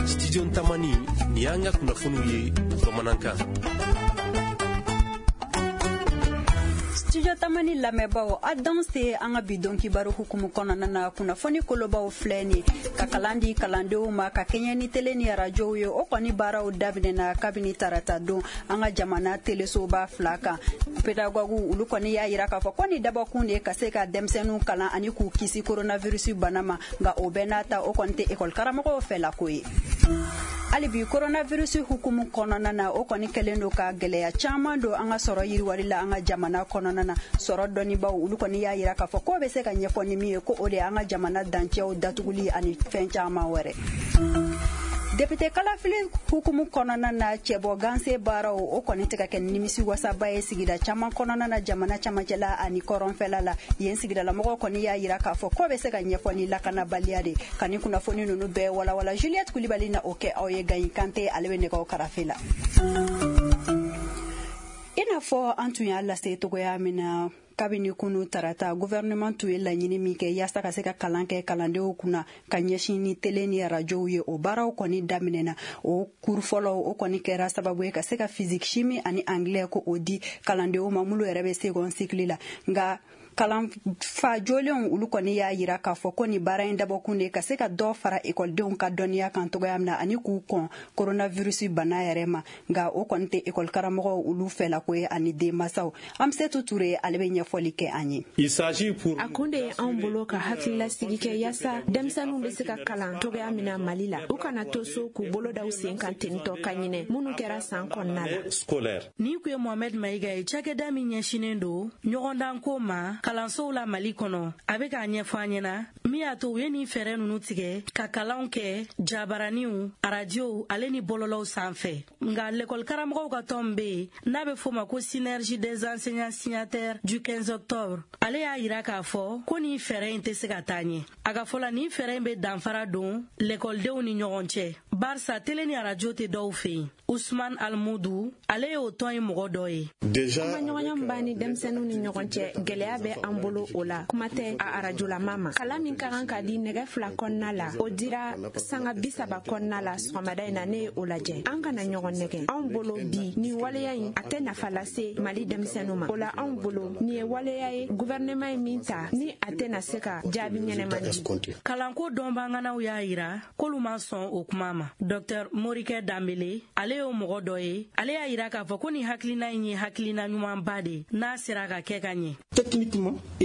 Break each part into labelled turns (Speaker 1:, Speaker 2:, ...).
Speaker 1: Studio Tamani, ni y'an ka kunnafoniw ye bamanankan.
Speaker 2: Studio Tamani lamɛnbaaw, a danse an ka bi don kibaru hukumu kɔnɔna na. Kunnafoni kolobaw filɛ nin ka kalan di kalandenw ma ka kɛɲɛ ni tele ni arajow ye, o kɔni baaraw daminɛna kabini tarata don an ka jamana telesoba 2 kan. Pedagoguw olu kɔni y'a yira k'a fɔ ko ni dabɔkun de ye ka se ka denmisɛnninw kalan ani k'u kisi coronavirus bana ma, nka o bɛɛ n'a ta o kɔni tɛ ekɔli karamɔgɔw fɛlako ye. Hali bi coronavirus hukumu kɔnɔna na, o kɔni kɛlen don ka gɛlɛya caman don an ka sɔrɔ yiriwali la an ka jamana kɔnɔna na. Sɔrɔ dɔnnibaw olu kɔni y'a yira k'a fɔ k'o bɛ se ka ɲɛfɔ ni min ye, ko o de y'an ka jamana dancɛw datuguli ani fɛn caman wɛrɛ. Député kalafili hukumu kɔnɔna na, cɛbɔ ganse baaraw o kɔni tɛ ka kɛ nimisi wasaba ye sigida caman kɔnɔna na, jamana camancɛla ani kɔrɔnfɛla la. Yen sigidalamɔgɔw kɔni y'a yira k'a fɔ k'o bɛ se ka ɲɛfɔ ni lakanabaliya de. Ka ni kunnafoni ninnu bɛɛ walawala, Juliette Kulibali na o kɛ aw ye. Gayin Kante ale bɛ nɛgɛw karafe la. I n'a fɔ an tun y'a lase togoya min na kabini kunu tarata, gouvernement tun ye laɲini min kɛ yaasa ka se ka kalan kɛ kalandenw kunna ka ɲɛsin ni tele ni arajow ye, o baaraw kɔni daminɛna. O kuru fɔlɔ o kɔni kɛra sababu ye ka se ka physique, chimie ani anglais ko o di kalandenw ma minnu yɛrɛ bɛ second cycle la. Nka kalanfa jolenw olu kɔni y'a yira k'a fɔ ko nin baara in dabɔkun de ka se ka dɔ fara ekɔlidenw ka dɔnniya kan togoya min na ani k'u kɔn coronavirus bana yɛrɛ ma, nka o kɔni tɛ ekɔli karamɔgɔw olu fɛlako ye ani denmansaw. Amsetu Ture ale bɛ ɲɛfɔli kɛ an ye.
Speaker 3: A kun de ye anw bolo ka hakililasigi kɛ yaasa denmisɛnninw bɛ se ka kalan togoya min na Mali la, u kana to so k'u bolo da u sen kan tentɔ ka ɲinɛ minnu kɛra san kɔnɔna la.
Speaker 4: Nin kun ye Mohamed Mayiga ye, cakɛda min ɲɛsinnen don ɲɔgɔndanko ma kalansow la Mali kɔnɔ. A bɛ k'a ɲɛfɔ an ɲɛna min y'a to u ye nin fɛɛrɛ ninnu tigɛ ka kalanw kɛ jabaraniw, arajow ale ni bɔlɔlɔw sanfɛ. Nka lekɔli karamɔgɔw ka tɔn bɛ yen n'a bɛ f'o ma ko Synergie des enseignants signataires du 15 octobre, ale y'a yira k'a fɔ ko nin fɛɛrɛ in tɛ se ka taa ɲɛ. A ka fɔ la, nin fɛɛrɛ in bɛ danfara don lekɔlidenw ni ɲɔgɔn cɛ, barisa tele ni arajo tɛ dɔw fɛ yen. Usman Almudu ale y'o tɔn in mɔgɔ dɔ ye.
Speaker 3: Kumaɲɔgɔnya min b'an ni denmisɛnninw ni ɲɔgɔn cɛ, gɛlɛya bɛ an bolo o la, kuma tɛ a arajolama ma. Kalan min ka kan ka di nɛgɛ 2 kɔnɔna la, o dira sanga 30 kɔnɔna la sɔgɔmada in na, ne ye o lajɛ. An kana ɲɔgɔn nɛgɛ. Anw bolo bi nin waleya in a tɛ nafa lase Mali denmisɛnninw ma. O la anw bolo nin ye waleya ye gouvernement ye min ta ni a tɛna se ka jaabi ɲɛnɛma di.
Speaker 4: Kalanko dɔnbaganaw y'a yira k'olu ma sɔn o kuma ma. Docteur Morikɛ Danbele ale y'o mɔgɔ dɔ ye, ale y'a yira k'a fɔ ko nin hakilina in ye hakilina ɲumanba de n'a sera ka kɛ ka ɲɛ.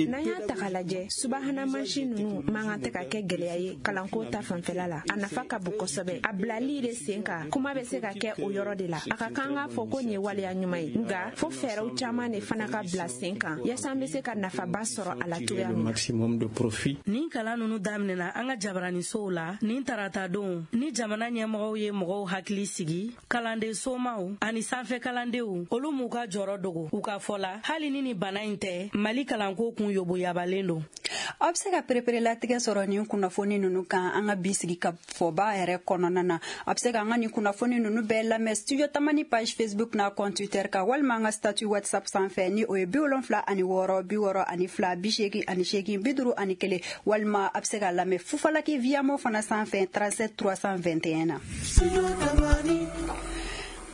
Speaker 3: N'an y'a ta k'a lajɛ, subahana mansin ninnu man kan tɛ ka kɛ gɛlɛya ye kalanko ta fanfɛla la. A nafa ka bon kosɛbɛ. A bilali de sen kan, kuma bɛ se ka kɛ o yɔrɔ de la. A ka kan k'a fɔ ko nin ye waleya ɲuman ye, nka fo fɛɛrɛw caman de fana ka bila sen kan yaasa an bɛ se ka nafaba sɔrɔ a la cogoya min na.
Speaker 4: Nin kalan ninnu daminɛna an ka jabaranisow la nin tarata don ni jamana ɲɛmɔgɔw ye mɔgɔw hakili sigi. Kalanden somaw ani sanfɛ kalandenw olu m'u ka jɔrɔ dogo. U ka fɔ la, hali ni nin bana in tɛ, Mali kalanko kun yoboyabalen don.
Speaker 2: Aw bɛ se ka pereperelatigɛ sɔrɔ nin kunnafoni ninnu kan an ka bi sigi ka fɔba yɛrɛ kɔnɔna na. A bɛ se ka an ka nin kunnafoni ninnu bɛɛ lamɛn Studio Tamani page Facebook n'a compte Twitter kan, walima an ka statut WhatsApp sanfɛ ni o ye 76 62 88 51, walima a bɛ se ka lamɛn Fufalaki Viamo fana sanfɛ 37 321 na.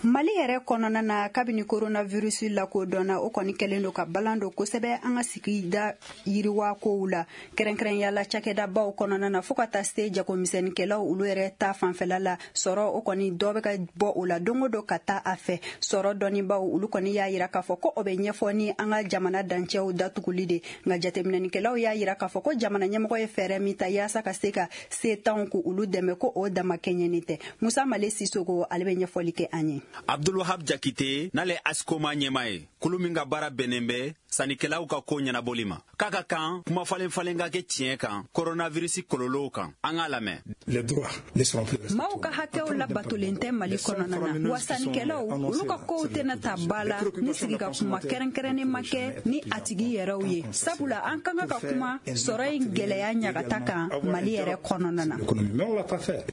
Speaker 2: Mali yɛrɛ kɔnɔna na, kabini coronavirus lakodɔnna, o kɔni kɛlen don ka balan don kosɛbɛ an ka sigida yiriwa kow la, kɛrɛnkɛrɛnya la cakɛdabaw kɔnɔna na, fo ka taa se jagomisɛnninkɛlaw olu yɛrɛ ta fanfɛla la. Sɔrɔ o kɔni dɔ bɛ ka bɔ o la don o don ka taa a fɛ. Sɔrɔ dɔnnibaw olu kɔni y'a yira k'a fɔ ko o bɛ ɲɛfɔ ni an ka jamana dancɛw datuguli de. Nka jateminɛnikɛlaw y'a yira k'a fɔ ko jamana ɲɛmɔgɔ ye fɛɛrɛ min ta yaasa ka se ka setanw k'olu dɛmɛ, ko o dama kɛɲɛni tɛ. Musa Male Sisoko ale bɛ ɲɛfɔli kɛ an ye.
Speaker 5: Abdulwahab Jakite n'ale Asikoma ɲɛmaa ye, kulu min ka baara bɛnnen bɛ sannikɛlaw ka ko ɲɛnabɔli ma, k'a ka kan kuma falen falen ka kɛ tiɲɛ kan coronavirus kɔlɔlɔw kan. An k'a lamɛn.
Speaker 2: Maaw ka hakɛw labatolen tɛ Mali kɔnɔna na, wa sannikɛlaw olu ka kow tɛna ta ba la ni sigi ka kuma kɛrɛnkɛrɛnnen ma kɛ ni a tigi yɛrɛw ye, sabula an ka kan ka kuma sɔrɔ in gɛlɛya ɲagata kan Mali yɛrɛ kɔnɔna na.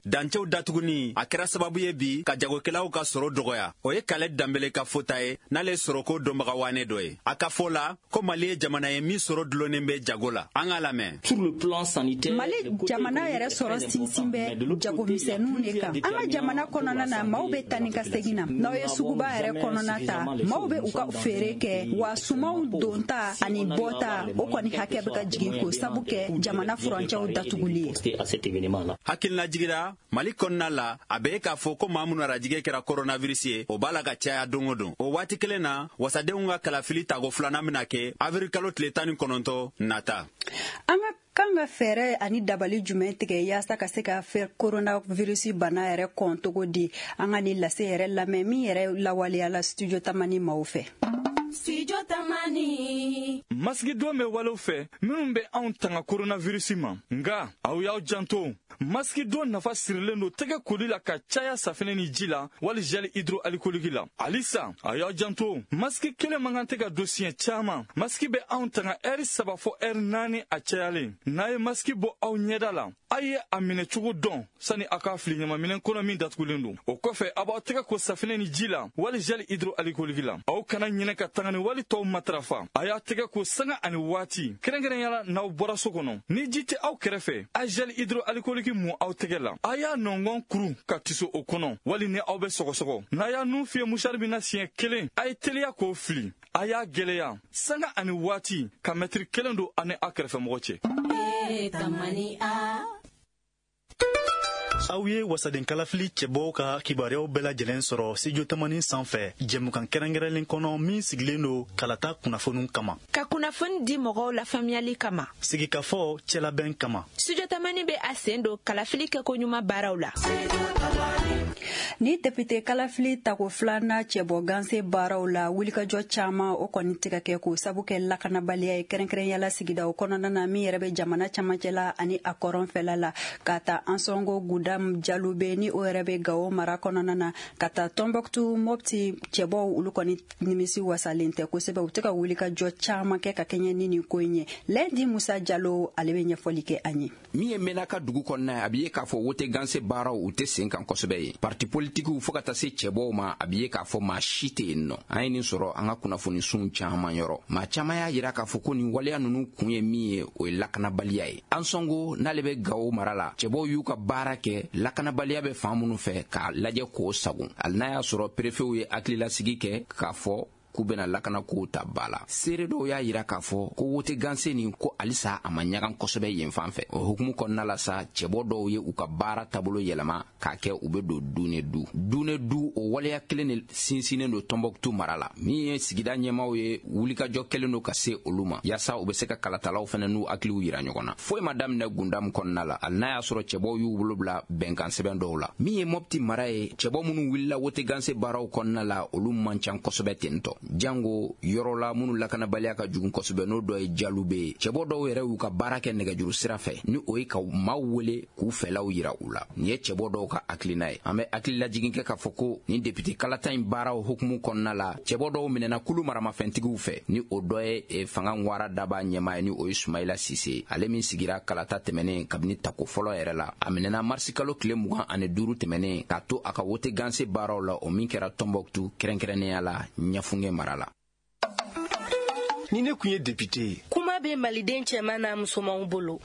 Speaker 5: Dancɛw datuguni a kɛra sababu ye bi ka jagokɛlaw ka sɔrɔ dɔgɔya. dɔgɔya. O ye Kalɛ Danbele ka fɔta ye, n'ale sɔrɔko dɔnbaga waane dɔ ye. A ka fɔ la ko Mali ye jamana ye min sɔrɔ dulonnen bɛ jago la. An k'a lamɛn.
Speaker 2: Mali jamana yɛrɛ sɔrɔ sinsin bɛ jagomisɛnninw de kan. An ka jamana kɔnɔna na, maaw bɛ taa ni ka segin na. N'aw ye suguba yɛrɛ kɔnɔna ta, maaw bɛ u ka feere kɛ, wa sumanw donta ani bɔta, o kɔni hakɛ bɛ ka jigin k'o sabu kɛ jamana furancɛw datuguli ye.
Speaker 5: Hakilina jigira Mali kɔnɔna la, a bɛ k'a fɔ ko maa minnu arajigɛ kɛra coronavirus ye, o b'a la ka caya don o don. O waati kelen na, wasadenw ka kalafili tago filanan bɛna kɛ avril kalo tile 19 nata.
Speaker 2: An ka kan ka fɛɛrɛ ani dabali jumɛn tigɛ yaasa ka se ka coronavirus bana yɛrɛ kɔn cogo di? An ka nin lase yɛrɛ lamɛn min yɛrɛ lawaleyala Studio Tamani maaw fɛ.
Speaker 6: Studio Tamani.
Speaker 7: Masigidon bɛ walew fɛ minnu bɛ anw tanga coronavirus ma, nka aw y'aw janto. Masigidon nafa sirilen don tɛgɛ koli la ka caya safinɛ ni ji la wali gel hydroalcoolique la. Halisa aw y'aw janto, masiki kelen man kan tɛ ka don siɲɛ caman. Masiki bɛ anw tanga ɛri 3 fɔ ɛri 4 a cayalen. N'a ye masiki bɔ aw ɲɛda la, a ye a minɛcogo dɔn sani a k'a fili ɲamaminɛn kɔnɔ min datugulen don. O kɔfɛ, a b'aw tɛgɛ ko safinɛ ni ji la wali gel hydroalcoolique la. Aw kana ɲinɛ ka tangani wali tɔw matarafa. A y'a tɛgɛ ko sanga ani waati, kɛrɛnkɛrɛnya la n'aw bɔra so kɔnɔ. Ni ji tɛ aw kɛrɛfɛ, a gel hydroalcoolique mu aw tɛgɛ la. A y'a nɔngɔn kuru ka tiso o kɔnɔ, wali ni aw bɛ sɔgɔsɔgɔ. N'a y'a nun fiyɛ musari min na siɲɛ kelen, a ye teliya k'o fili. A y'a gɛlɛya sanga ani waati ka mɛtiri 1 don ani a kɛrɛfɛmɔgɔ cɛ.
Speaker 8: Aw ye wasaden kalafili cɛbɔw ka kibaruyaw bɛɛ lajɛlen sɔrɔ Studio Tamani sanfɛ, jɛmukan kɛrɛnkɛrɛnlen kɔnɔ min sigilen don kalata kunnafoniw kama,
Speaker 3: ka kunnafoni di mɔgɔw lafaamuyali kama,
Speaker 8: sigikafɔ cɛlabɛn kama.
Speaker 3: Studio Tamani bɛ a sen don kalafili kɛkoɲuman baaraw la.
Speaker 2: Ni député kalafili tako filanan cɛbɔ ganse baaraw la, wulikajɔ caman o kɔni tɛ ka kɛ k'o sabu kɛ lakanabaliya ye, kɛrɛnkɛrɛnyala sigidaw kɔnɔna na min yɛrɛ bɛ jamana camancɛla ani a kɔrɔnfɛla la, ka ta Ansɔngo Gudam Jalube ni o yɛrɛ bɛ Gawo mara kɔnɔna na, ka taa Tɔnbɔkutu Mopti cɛbɔw, olu kɔni nimisi wasalen tɛ kosɛbɛ. U tɛ ka wulikajɔ caman kɛ ka kɛɲɛ ni nin ko in ye. Lɛndi Musa Jalo, ale bɛ ɲɛfɔli kɛ an ye.
Speaker 9: Min ye Menaka dugu kɔnɔna ye, a bɛ ye k'a fɔ wote ganse baaraw u tɛ sen kan kosɛbɛ ye. Parti politikiw fo ka taa se cɛbɔw ma, a bɛ ye k'a fɔ maa si tɛ yen nɔ. An ye nin sɔrɔ an ka kunnafoni sun caman yɔrɔ. Maa caman y'a yira k'a fɔ ko nin waleya ninnu kun ye min ye, o ye lakanabaliya ye. Ansɔngo n'ale bɛ Gawo mara la, cɛbɔw y'u ka baara kɛ lakanabaliya bɛ fan minnu fɛ k'a lajɛ k'o sagon. Hali n'a y'a sɔrɔ perefew ye hakililasigi kɛ k'a fɔ k'u bɛna lakanakow ta ba la. Seere dɔw y'a yira k'a fɔ ko wote ganse nin ko halisa a ma ɲagan kosɛbɛ yen fan fɛ. O hukumu kɔnɔna la sa, cɛbɔ dɔw ye u ka baara taabolo yɛlɛma k'a kɛ u bɛ don du ni du. Du ni du, o waleya kelen de sinsinnen don Tɔnbɔkutu mara la. Min ye sigida ɲɛmaaw ye, wulikajɔ kɛlen don ka se olu ma yaasa u bɛ se ka kalatalaw fana n'u hakiliw yira ɲɔgɔn na. Foyi ma daminɛ Gundamu kɔnɔna la, hali n'a y'a sɔrɔ cɛbɔw y'u bolo bila bɛnkan sɛbɛn dɔw la. Min ye Mɔpti mara ye, cɛbɔ minnu wulila wote ganse baaraw kɔnɔna la, olu man ca kosɛbɛ ten tɔ. Jango yɔrɔ la minnu lakanabaliya ka jugu kosɛbɛ, n'o dɔ ye Jalube ye. Cɛbɔ dɔw yɛrɛ y'u ka baara kɛ nɛgɛjuru sira fɛ, ni o ye ka maaw wele k'u fɛlaw yira u la. Nin ye cɛbɔ dɔw ka hakilina ye. An bɛ hakililajigin kɛ k'a fɔ ko nin député kalata in baaraw hukumu kɔnɔna la, cɛbɔ dɔw minɛna kulu maramafɛntigiw fɛ, ni o dɔ ye fanga ŋwara daba ɲɛmaa ye, ni o ye Sumayila Sise, ale min sigira kalata tɛmɛnen kabini tako fɔlɔ yɛrɛ la. A minɛna marisi kalo tile 25 tɛmɛnen k'a to a ka wote ganse baaraw la, o min kɛra Tɔnbɔkutu, kɛrɛnkɛrɛnnenya la Ɲafunge mara la.
Speaker 1: Ni ne kun ye député ye.
Speaker 4: Kuma bɛ maliden cɛman n'a musomanw bolo.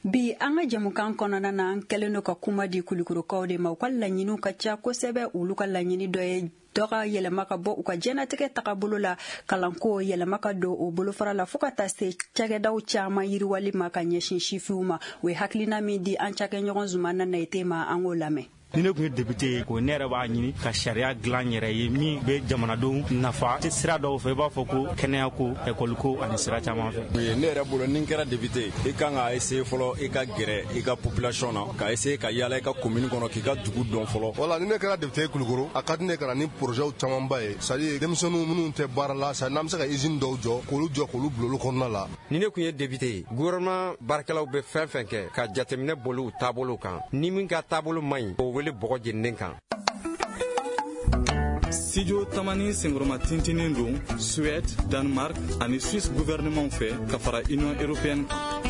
Speaker 2: Bi an ka jɛmukan kɔnɔna na, an kɛlen don ka kuma di kulukorokaw de ma. U ka laɲiniw ka ca kosɛbɛ. Olu ka laɲini dɔ ye dɔ ka yɛlɛma ka bɔ u ka diɲɛnatigɛ tagabolo la, kalanko yɛlɛma ka don o bolofara la, fo ka taa se cakɛdaw caman yiriwali ma ka ɲɛsin sifinw ma. O ye hakilina min di an cakɛɲɔgɔn Zumana Nayite ma, an k'o lamɛn.
Speaker 10: Ni ne tun ye député ye, ko ne yɛrɛ b'a ɲini ka sariya dilan yɛrɛ ye min bɛ jamanadenw nafa sira dɔw fɛ, i b'a fɔ ko kɛnɛya ko, ekɔli ko ani sira caman fɛ.
Speaker 11: Ne yɛrɛ bolo, ni n kɛra député, i kan ka essayer fɔlɔ i ka gɛrɛ i ka population na, ka essayer ka yaala i ka commune kɔnɔ, k'i ka dugu dɔn fɔlɔ.
Speaker 12: Wala ni ne kɛra député ye Kulukoro, a ka di ne ka na ni projet camanba ye, c'est à dire denmisɛnninw minnu tɛ baara la, c'est à dire n'an bɛ se ka usine dɔw jɔ, k'olu jɔ k'olu bila olu kɔnɔna la.
Speaker 13: Ni ne tun ye député ye, gouvernement baarakɛlaw bɛ fɛn fɛn kɛ ka jateminɛ boli u taabolo kan, ni min ka taabolo man ɲi, o wele bɔgɔ jeninen kan.
Speaker 7: Studio Tamani senkɔrɔma tintinen don Suède, Danemark ani Suisse gouvernement fɛ ka fara Union européenne kan.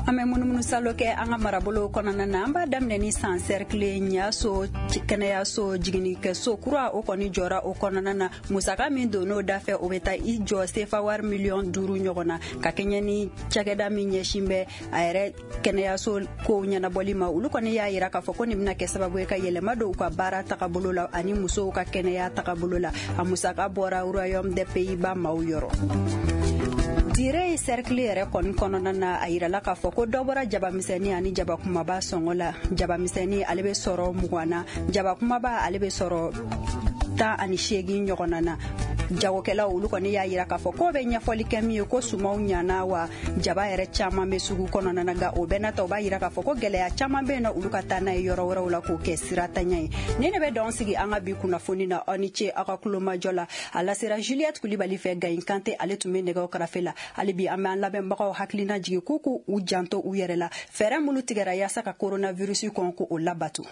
Speaker 2: An bɛ munumunusalo kɛ an ka marabolo kɔnɔna na. An b'a daminɛ ni San sɛrikile Ɲaso kɛnɛyaso jiginnikɛso kura, o kɔni jɔra o kɔnɔna na. Musaka min don n'o dafɛ, o bɛ taa i jɔ sefa wari miliyɔn 5 ɲɔgɔn na, ka kɛɲɛ ni cakɛda min ɲɛsin bɛ a yɛrɛ kɛnɛyaso kow ɲɛnabɔli ma. Olu kɔni y'a yira k'a fɔ ko nin bɛna kɛ sababu ye ka yɛlɛma don u ka baara tagabolo la ani musow ka kɛnɛya tagabolo la. A musaka bɔra Royaume des Pays-Bas maaw yɔrɔ. Dire cercle yɛrɛ kɔni kɔnɔna na, a yirala k'a fɔ ko dɔ bɔra jabamisɛnni ani jaba kumaba sɔngɔ la. Jabamisɛnni, ale bɛ sɔrɔ 20 na, jaba kumaba, ale bɛ sɔrɔ 18 ɲɔgɔnna na. Jagokɛlaw, olu kɔni y'a yira k'a fɔ k'o bɛ ɲɛfɔli kɛ min ye ko sumaw ɲana wa jaba yɛrɛ caman bɛ sugu kɔnɔna na. Nka o bɛɛ n'a ta, o b'a yira k'a fɔ ko gɛlɛya caman bɛ yen nɔ, olu ka taa n'a ye yɔrɔ wɛrɛw la k'o kɛ siratanya ye. Ni ne bɛ dɔn sigi an ka bi kunnafoni na. Aw ni ce aw ka kulomajɔ la. A lasera Juliette Kulibali fɛ. Gayin Kante, ale tun bɛ nɛgɛw karafe la. Hali bi, an bɛ an lamɛnbagaw hakilina jigin k'u k'u u janto u yɛrɛ la. Fɛɛrɛ minnu tigɛra yaasa ka coronavirus kɔn, ko o labato.